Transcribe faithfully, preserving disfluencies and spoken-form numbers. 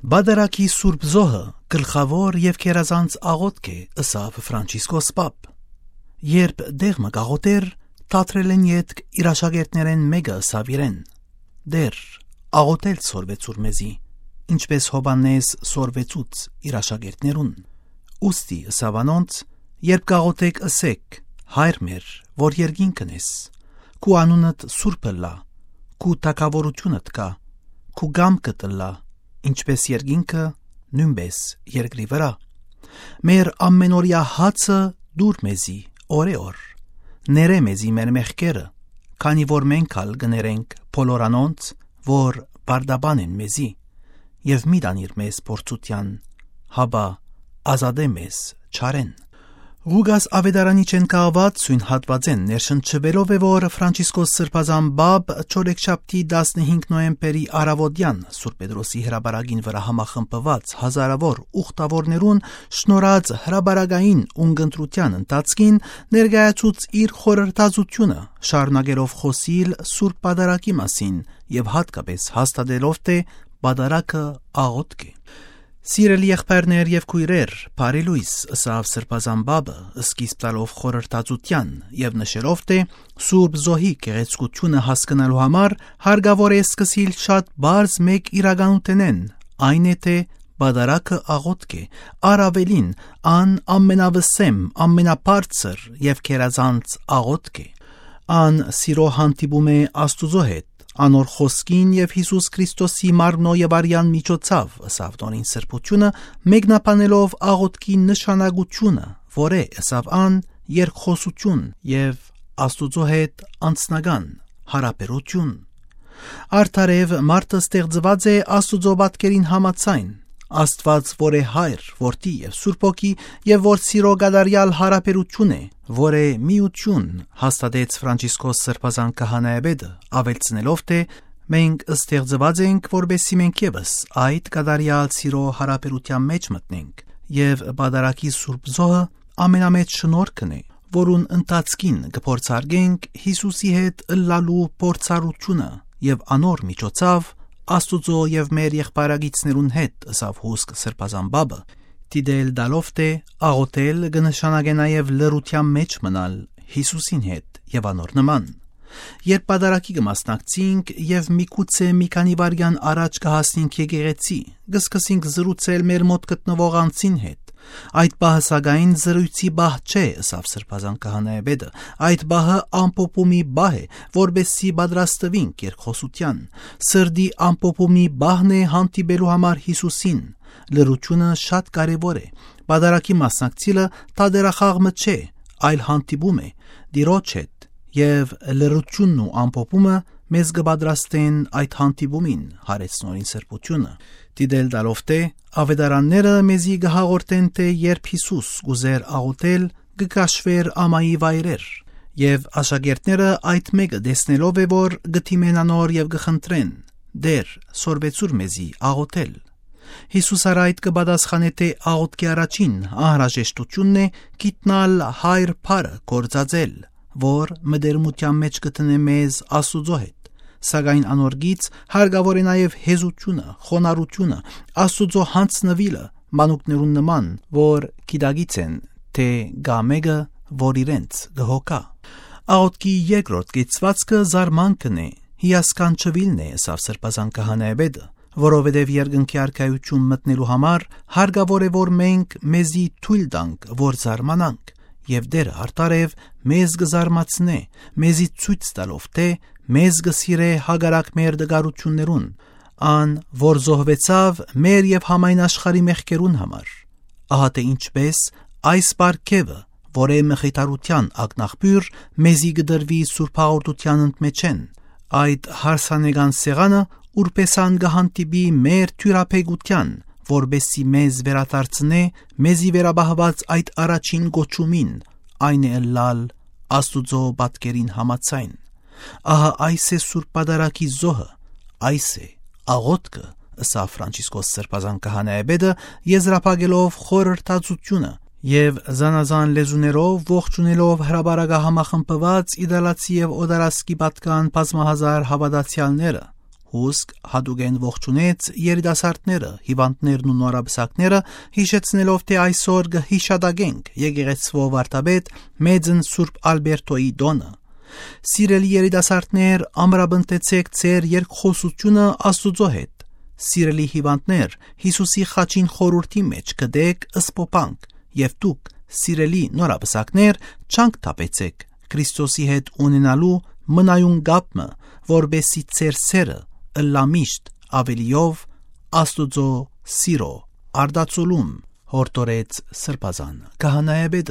Բադարակի Սուրբ Զոհը գլխավոր եւ քերազանց աղոթք է, ըսավ Ֆրանցիսկոս Պապ։ Երբ դեղմը գաղոտեր, թատրել են ետք իր աշակերտներեն մեկը ըսավ իրեն. «Դեր, աղոթել սորվեցուր մեզի, ինչպես Հովհաննես սորվեցուց իր աշակերտներուն։ Ուստի ըսավ անոնց, երբ գաղոթեք ըսեք. Հայր մեր, որ երկինքն ես, քու անունդ սուրբը լա, քու թագավորությունդ կա, քու գամքդ լա, ինչպես երկինքը, նույնպես երկրի վրա։ Մեր ամենօրյա հացը դուր մեզի օրեօր, ներե մեզի մեր մեղքերը, քանի որ մենք ալ գներենք բոլոր անոնց, որ բարդաբան են մեզի, եւ մի դանիր մեզ փորձության, հաբա ազատե մեզ չարեն»։ Ղուգաս ավետարանի չեն կահված սույն հատվածեն ներշնչվելով է, որ Ֆրանցիսկոս Սրբազան Բաբ չորեքշաբթի տասնհինգ նոյեմբերի առավոտյան Սուրբ Պետրոսի հրաբարագին վրա համախմբված հազարավոր ուխտավորներուն շնորհած հրաբարագային ունգընտրության ընթացքին ներկայացուց իր խորհրդածությունը, շարունակելով խոսիլ Սուրբ Պատարագի մասին եւ հատկապես հաստատելով թե Պատարագը աղոթք է։ Սիրելի եղբայրներ եւ քույրեր, բարի լույս, ըսավ Սրբազան Բաբը, սկիզբ տալով խորհրդածության եւ նշելով թե Սուրբ Զոհի գեղեցկությունը հասկանալու համար հարկավոր է սկսիլ շատ բարձ մեկ իրականութենեն, այն է թե Պատարագը աղոթք է, առավելին ան ամենավսեմ, ամենաբարձր եւ քերազանց աղոթք է։ Ան սիրո հանդիպում է Աստուծո հետ, անոր խոսքին եւ Հիսուս Քրիստոսի մարմնո եւ արյան միջոցով, ըսավ Տոնին սրբությունը, մեկնաբանելով աղոթքի նշանակությունը, որ է, ըսավ ան, երկխոսություն եւ Աստուծո հետ անձնական հարաբերություն։ Արդարև մարդը ստեղծված է Աստուծո պատկերին համաձայն, Աստված, որ է Հայր, Որդի եւ Սուրբ Հոգի եւ որ սիրո գադարյալ հարաբերություն է, որ է միություն, հաստատեց Ֆրանցիսկոս Սրբազան քահանայապետը, ավելցնելով թե մենք ստեղծված ենք, որպեսզի մենք եւս այդ գադարյալ սիրո հարաբերության մեջ մտնենք, եւ Պատարագի Սուրբ Զոհը ամենամեծ շնորհքն է, որուն ընթացքին կփորձարկենք Հիսուսի հետ ըլլալու փորձառությունը եւ անոր միջոցով Աստուծո եւ մեր եղբայրագիցներուն հետ, ըսավ հուսք Սրբազան Բաբը, դիդել դալով թե աղոթել կնշանակե նաեւ լրության մեջ մնալ Հիսուսին հետ եւ անոր նման։ Երբ Պատարագի կմասնակցենք եւ միգուցե մի քանի վայրկյան առաջ կհասնենք եկեղեցի, կսկսենք զրուցել մեր մոտ գտնվող անձին հետ։ Այդ բահը սակայն զրույցի բահ չէ, ըսավ Սրբազան քահանայապետը, այդ բահը ամփոփումի բահ է, որպեսզի պատրաստվենք երկխոսության։ Սրդի ամփոփումի բահն է հանդիպելու համար Հիսուսին։ Լրությունը շատ կարևոր է։ Պատարագի մասնակցելը թատերախաղը չէ, այլ հանդիպում է Տիրոջ հետ, եւ լրությունն ու ամփոփումը մեզ կպատրաստեն այդ հանդիպումին, հարեցնորին սրբությունը։ Դիդել դալով թե ավետարանները մեզի կհաղորդեն թե երբ Հիսուս գուզեր աղոթել, կկաշվեր ամայի վայրեր, եւ աշակերտները այդ մեկը տեսնելով է, որ գթիմեն անոր եւ կխնդրեն. «Դեր, սորվեցուր մեզի աղոթել»։ Հիսուս արայդ կպատասխանե թե աղոթքի առաջին անհրաժեշտությունն է գիտնալ Հայր Փարը գործածել, որ մտերմության մեջ կտնե մեզ Աստուծո հետ, սակայն անորգից հարկավոր է նաև հեզությունը, խոնարհությունը, Աստուծո հանձնվիլը մանուկներուն նման, որ գիտագից են, թե գա մեկը, որ իրենց գհոգա։ Աղոթքի երկրորդ կեցվածքը զարմանքն է, հիասքանչվիլն է, ըսավ Սրբազան քահանայապետը, որովհետև երկնքի արքայություն մտնելու համար հարկավոր է, որ մենք մեզի թույլ տանք, որ զարմանանք, եւ դերը արտարև մեզ կզարմացնե, մեզի ցույց տալով թե մեզ կսիրե հագարակ մեր դգարություններուն, ան, որ զոհվեցավ մեր եւ համայն աշխարհի մեղքերուն համար։ Ահա թե ինչպես այս պարգևը, որ է մխիթարության ակնաղբյուր, մեզի կդրվի Սուրբ հաղորդության ընդմեջեն, այդ հարսանեկան սեղանը ուրպեսան կհանդիպի մեր թյուրափեգության, որբեսի մեզ վերադարձնե մեզի վերաբահված այդ առաջին գոչումին, այն է ըլլալ Աստուծո պատկերին համաձայն։ Ահա այս է Սուրբ Պատարագի զոհը, այս է աղոթքը, ըսավ Ֆրանցիսկոս Սրբազան քահանայապետը, եզրափակելով խորհրդածությունը եւ զանազան լեզուներով ողջունելով հրաբարակահամախմբված իդալացի եւ օդարասկի պատկան բազմահազար հավատացյալները, Հուսք հատուկեն ողջունեց երիտասարդները, հիվանդներն ու նորաբսակները, հիշեցնելով, թե այսօր կհիշադակենք եկեղեցվո վարդապետ մեծն Սուրբ Ալբերտոյի դոնը։ Սիրելի երիտասարդներ, ամրապնդեցեք ձեր երկխոսությունը Աստուծո հետ։ Սիրելի հիվանդներ, Հիսուսի խաչին խորհրդի մեջ կդեք ըսպոպանք, եւ դուք, սիրելի նորաբսակներ, չանք թափեցեք Քրիստոսի հետ ունենալու մնայուն գապը, որբեսի ձեր սերը ըլլամիշտ ավելիով Աստուծո սիրո արդացոլում հորդորեց Սրբազան քահանայապետը։